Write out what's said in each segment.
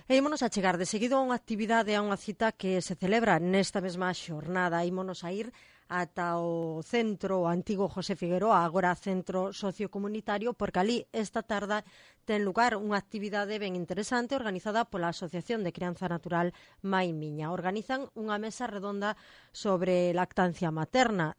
E ímonos a chegar de seguido a unha actividade, a unha cita que se celebra nesta mesma xornada. Ímonos a ir ata o centro, o antigo José Figueroa, agora centro sociocomunitario, porque ali esta tarde ten lugar unha actividade ben interesante organizada pola Asociación de Crianza Natural Mai Miña. Organizan unha mesa redonda sobre lactancia materna.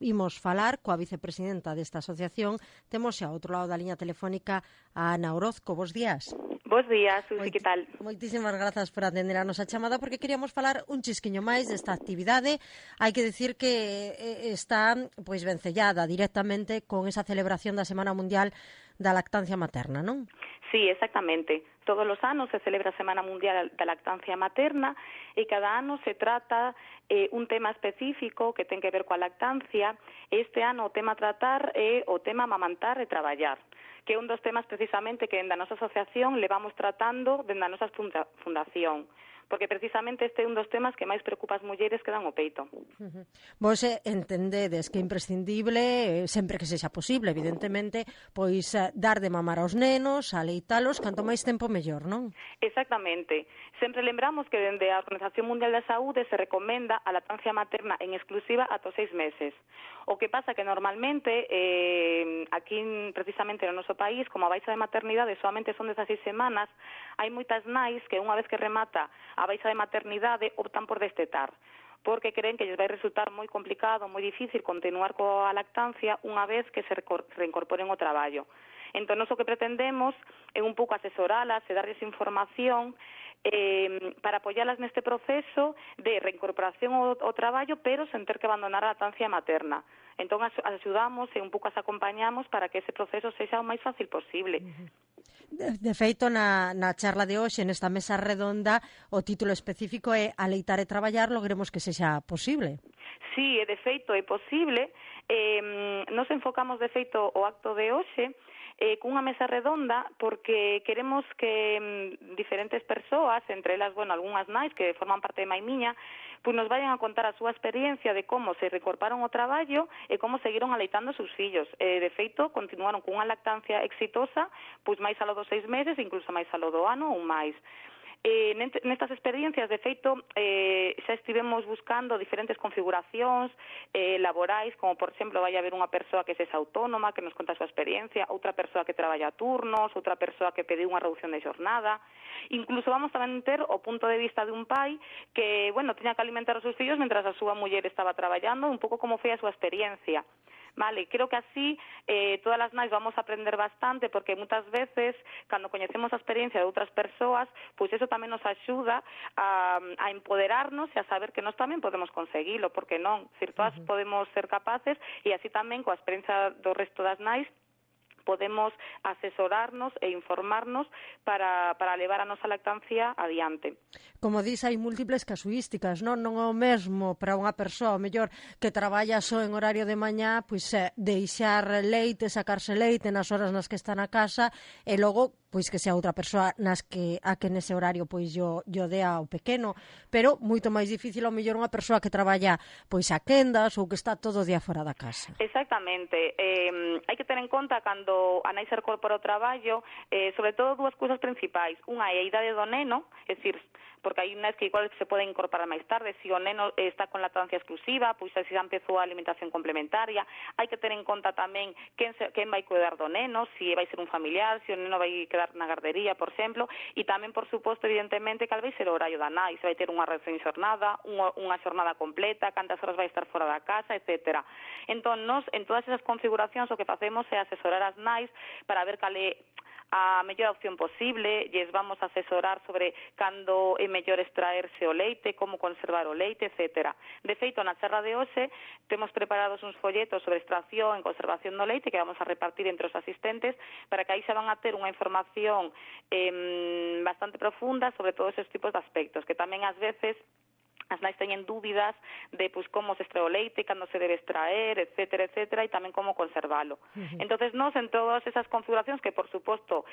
Imos falar coa vicepresidenta desta asociación. Temos xa ao outro lado da liña telefónica a Ana Orozco. Bos días. Bos días, Susi, que tal? Moitísimas grazas por atender a nosa chamada, porque queríamos falar un chisquiño máis desta actividade. Hai que decir que está pois vencellada directamente con esa celebración da Semana Mundial da Lactancia Materna, non? Sí, exactamente. Todos os anos se celebra a Semana Mundial da Lactancia Materna e cada ano se trata un tema específico que ten que ver coa lactancia. Este ano o tema a tratar é o tema amamantar e traballar, que é un dos temas precisamente que en da nosa asociación levamos tratando dende a nosa fundación, porque precisamente este é un dos temas que máis preocupa as mulleres que dan o peito. Vos entendedes que é imprescindible, sempre que sexa posible, evidentemente, pois dar de mamar aos nenos, aleitalos, canto máis tempo mellor, non? Exactamente. Sempre lembramos que dende a Organización Mundial da Saúde se recomenda a lactancia materna en exclusiva ata os 6 meses. O que pasa que normalmente, aquí precisamente no noso país, como a baixa de maternidade solamente son 16 semanas, hai moitas nais que unha vez que remata a baixa de maternidade optan por destetar, porque creen que lles vai resultar moi complicado, moi difícil continuar coa lactancia unha vez que se reincorporen ao traballo. Entón, o que pretendemos é un pouco asesoralas e darles información para apoyalas neste proceso de reincorporación ao traballo, pero sen ter que abandonar a lactancia materna. Entón, axudamos e un pouco as acompañamos para que ese proceso sexa o máis fácil posible. De feito, na charla de hoxe, nesta mesa redonda, o título específico é Aleitar e traballar, logremos que sexa posible. Sí, de feito é posible. Nos enfocamos, de feito, o acto de hoxe cunha mesa redonda porque queremos que diferentes persoas, entre elas, algunhas nais que forman parte de Mai Miña, pois nos vayan a contar a súa experiencia de como se reincorporaron ao traballo e como seguiron aleitando os seus fillos. De feito, continuaron cunha lactancia exitosa, pois máis alo dos 6 meses, incluso máis alo do ano ou máis. Nestas experiencias, de feito, xa estivemos buscando diferentes configuracións laborais, como, por exemplo, vai haber unha persoa que sexa autónoma, que nos conta a súa experiencia, outra persoa que traballa a turnos, outra persoa que pediu unha reducción de xornada. Incluso vamos tamén ter o punto de vista de un pai que, tiña que alimentar os seus fillos mentras a súa muller estaba traballando, un pouco como foi a súa experiencia. Vale, creo que así todas as nais vamos a aprender bastante, porque moitas veces, cando coñecemos a experiencia de outras persoas, pois eso tamén nos axuda a empoderarnos e a saber que nós tamén podemos conseguilo, porque non, todas podemos ser capaces, e así tamén coa experiencia do resto das nais podemos asesorarnos e informarnos para levar a nosa lactancia adiante. Como dis, hai múltiples casuísticas, non é o mesmo para unha persoa, o mellor, que traballa só en horario de mañá, pois deixar leite, sacarse leite nas horas nas que está na casa, e logo pois que sea outra persoa a que nese horario pois yo dea ao pequeno, pero moito máis difícil ao mellor unha persoa que traballa pois a quendas ou que está todo o día fora da casa. Exactamente. Hai que ter en conta cando a nai se incorpora ao traballo, sobre todo dúas cousas principais. Unha é a idade do neno, é dicir, porque hai nais que igual se poden incorporar máis tarde, se o neno está con lactancia exclusiva, pois se xa empezou a alimentación complementaria. Hai que ter en conta tamén quen vai cuidar do neno, se vai ser un familiar, se o neno vai quedar na gardería, por exemplo, e tamén, por suposto, evidentemente, cal vai ser o horario da nai, se vai ter unha reducción de xornada, unha xornada completa, cantas horas vai estar fora da casa, etcétera. Entón, nós, en todas esas configuracións, o que facemos é asesorar as nais para ver cal é a mellor opción posible, lles vamos a asesorar sobre cando é mellor extraerse o leite, como conservar o leite, etcétera. De feito, na charla de hoxe temos preparados uns folletos sobre extracción e conservación do leite que vamos a repartir entre os asistentes para que aí xa van a ter unha información bastante profunda sobre todos esos tipos de aspectos, que tamén ás veces as nais teñen dúbidas de pois como se extrae o leite, cando se debe extraer, etcétera, etcétera, e tamén como conservalo. Entonces, nós en todas esas configuracións que, por suposto,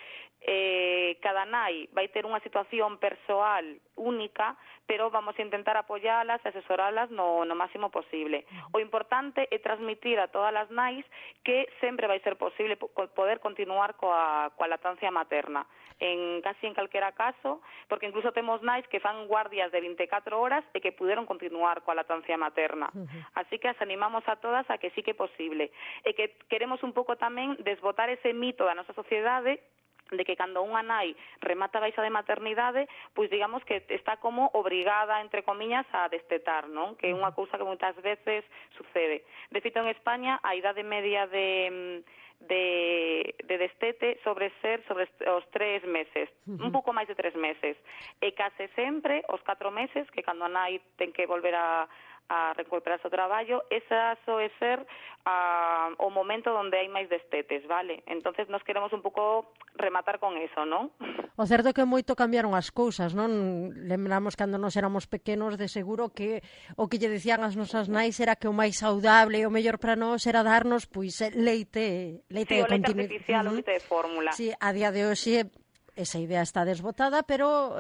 cada nai vai ter unha situación persoal única, pero vamos a intentar apoyalas e asesoralas no máximo posible. O importante é transmitir a todas as nais que sempre vai ser posible poder continuar coa lactancia materna. Casi en calquera caso, porque incluso temos nais que fan guardias de 24 horas e que puderon continuar coa lactancia materna. Así que as animamos a todas a que sí que é posible. E que queremos un pouco tamén desbotar ese mito da nosa sociedade de que cando unha nai remata a baixa de maternidade, pois digamos que está como obrigada, entre comillas, a destetar, non? Que é unha cousa que moitas veces sucede. De feito, en España, a idade media de destete sobre os 3 meses, un pouco máis de 3 meses, e case sempre os 4 meses, que cando a nai ten que volver a recuperarse o traballo, esa soe ser o momento onde hai máis destetes, vale? Entonces nos queremos un pouco rematar con eso, non? O certo é que moito cambiaron as cousas, non? Lembramos cando nos éramos pequenos, de seguro que o que lle dicían as nosas nais era que o máis saudable e o mellor para nós era darnos pois leite sí, de o leite artificial, o leite de fórmula. Sí, a día de hoxe esa idea está desbotada, pero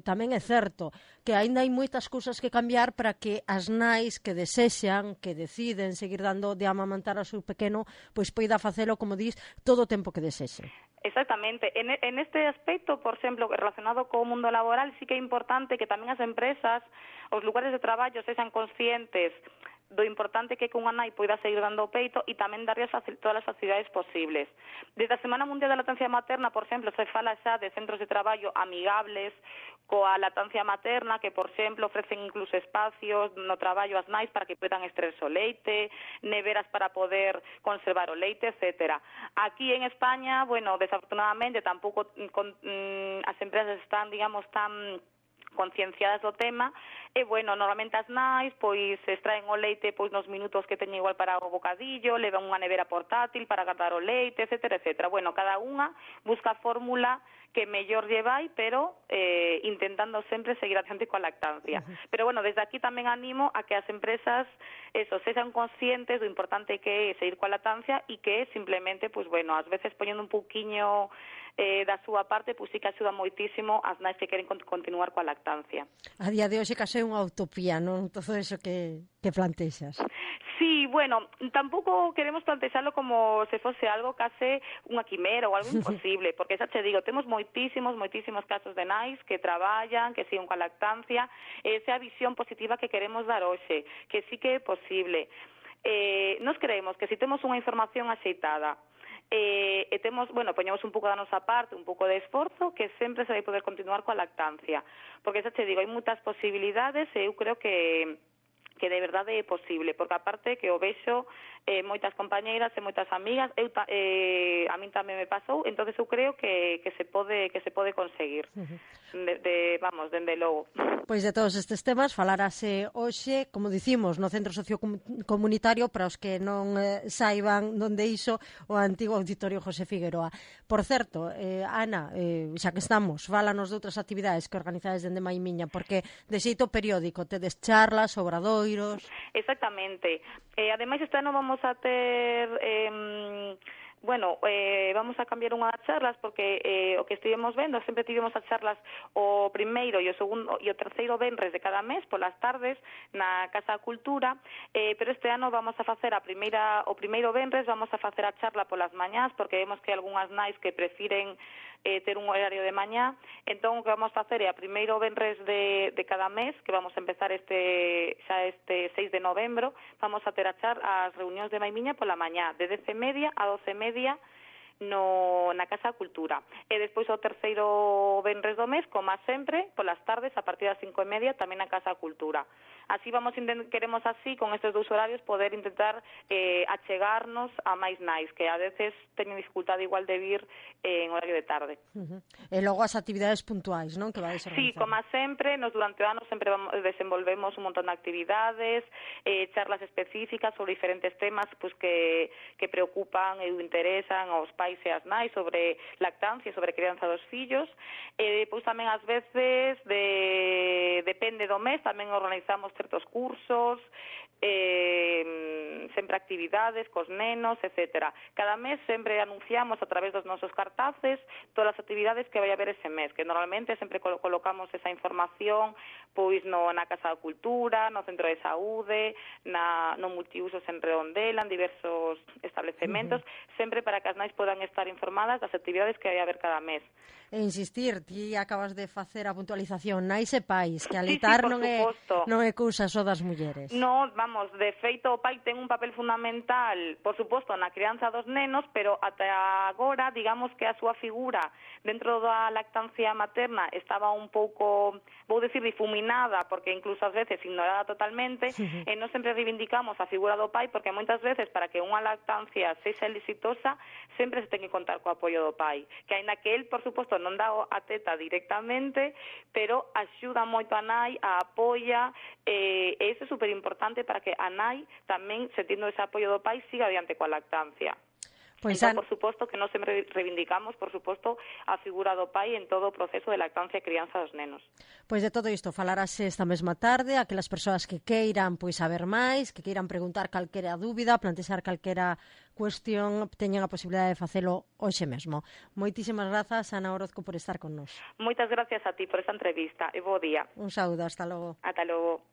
tamén é certo que aínda hai moitas cousas que cambiar para que as nais que desexan, que deciden seguir dando de amamantar ao seu pequeno, pois poida facelo, como dis, todo o tempo que desexe. Exactamente. En este aspecto, por exemplo, relacionado co mundo laboral, sí que é importante que tamén as empresas, os lugares de traballo, sexan conscientes do importante que unha nai poida seguir dando o peito e tamén darlle todas as facilidades posibles. Desde a Semana Mundial da Lactancia Materna, por exemplo, se fala xa de centros de traballo amigables coa lactancia materna, que, por exemplo, ofrecen incluso espacios no traballo ás nais para que poidan extraerse o leite, neveras para poder conservar o leite, etcétera. Aquí en España, bueno, desafortunadamente tampouco as empresas están, digamos, tan concienciadas do tema e, bueno, normalmente as nais pois extraen o leite pois nos minutos que teñen igual para o bocadillo, levan unha nevera portátil para guardar o leite, etcétera, etcétera. Bueno, cada unha busca a fórmula que mellor lle vai, pero intentando sempre seguir adiante coa lactancia. Pero, bueno, desde aquí tamén animo a que as empresas sexan conscientes do importante que é seguir coa lactancia e que simplemente, pois, bueno, ás veces poñendo un pouquiño da súa parte, pois sí que axuda moitísimo as nais que queren continuar coa lactancia. A día de hoxe case é unha utopía, non? Todo eso que plantexas. Sí, bueno, tampouco queremos plantexarlo como se fose algo case unha quimera ou algo imposible, porque xa te digo, temos moitísimos casos de nais que traballan, que siguen coa lactancia, esa visión positiva que queremos dar hoxe, que sí que é posible. Nos creemos que se temos unha información axeitada, e temos, bueno, poñemos un pouco da nosa parte, un pouco de esforzo, que sempre se vai poder continuar coa lactancia, porque xa te digo, hai moitas posibilidades e eu creo que de verdade é posible, porque aparte que o vexo moitas compañeiras e moitas amigas, a min tamén me pasou, entonces eu creo que se pode conseguir. Vamos, dende logo. Pois de todos estes temas falarase hoxe, como dicimos, no Centro Sociocomunitario, para os que non saiban onde iso, o antigo Auditorio José Figueroa. Por certo, Ana, xa que estamos, fálanos de outras actividades que organizades dende Maimiña, porque de xeito periódico tedes charlas, obradoiros... Exactamente. Ademais, este ano vamos a ter... vamos a cambiar unha das charlas porque o que estivemos vendo, sempre tivemos as charlas o primeiro e o segundo e o terceiro venres de cada mes polas tardes na Casa da Cultura, pero este ano vamos a facer o primeiro venres, vamos a facer a charla polas mañás porque vemos que hai algunhas nais que prefiren ter un horario de mañá, entón o que vamos a facer é a primeiro venres de cada mes, que vamos a empezar este 6 de novembro, vamos a ter as reunións de Maimiña pola mañá, de 10:30 a 12:30 na Casa da Cultura. E despois o terceiro venres do mes, como sempre, polas tardes, a partir das 5:30, tamén na Casa da Cultura. Así queremos así, con estes dous horarios, poder intentar achegarnos a máis nais, que a veces teñen dificultade igual de vir en horario de tarde. E logo as actividades puntuais, non? Que vais organizar. Sí, como sempre, durante o ano sempre desenvolvemos un montón de actividades, charlas específicas sobre diferentes temas pues, que preocupan e interesan aos pais pais e as nais sobre lactancia, sobre crianza dos fillos. Pois tamén ás veces depende do mes, tamén organizamos certos cursos, sempre actividades cos nenos, etcétera. Cada mes sempre anunciamos a través dos nosos cartaces todas as actividades que vai haber ese mes, que normalmente sempre colocamos esa información pois na Casa da Cultura, no Centro de Saúde, no multiusos en Redondela, en diversos establecementos, sempre para que as nais podan estar informadas das actividades que vai haber cada mes. E insistir, ti acabas de facer a puntualización, nais e pais, que Sí, alitar non é cousa só das mulleres. No, vamos, de feito o pai ten un papel fundamental, por suposto, na crianza dos nenos, pero ata agora, digamos que a súa figura dentro da lactancia materna estaba un pouco, vou dicir, difuminada, porque incluso ás veces ignorada totalmente, e non sempre reivindicamos a figura do pai, porque moitas veces para que unha lactancia sexa exitosa, sempre se ten que contar co apoio do pai, que aínda que el, por suposto, non dá a teta directamente, pero axuda moito a nai, a apoia, e iso é super importante para que a nai tamén, sentindo ese apoio do pai, siga adiante coa lactancia. Pois Entón, por suposto, que nós sempre reivindicamos, por suposto, a figura do pai en todo o proceso de lactancia e crianza dos nenos. Pois de todo isto falarase esta mesma tarde, aquelas persoas que queiran pois saber máis, que queiran preguntar calquera dúbida, plantexar calquera cuestión, teñen a posibilidade de facelo hoxe mesmo. Moitísimas grazas, Ana Orozco, por estar con nós. Moitas gracias a ti por esta entrevista e bo día. Un saúdo, hasta logo. Ata logo.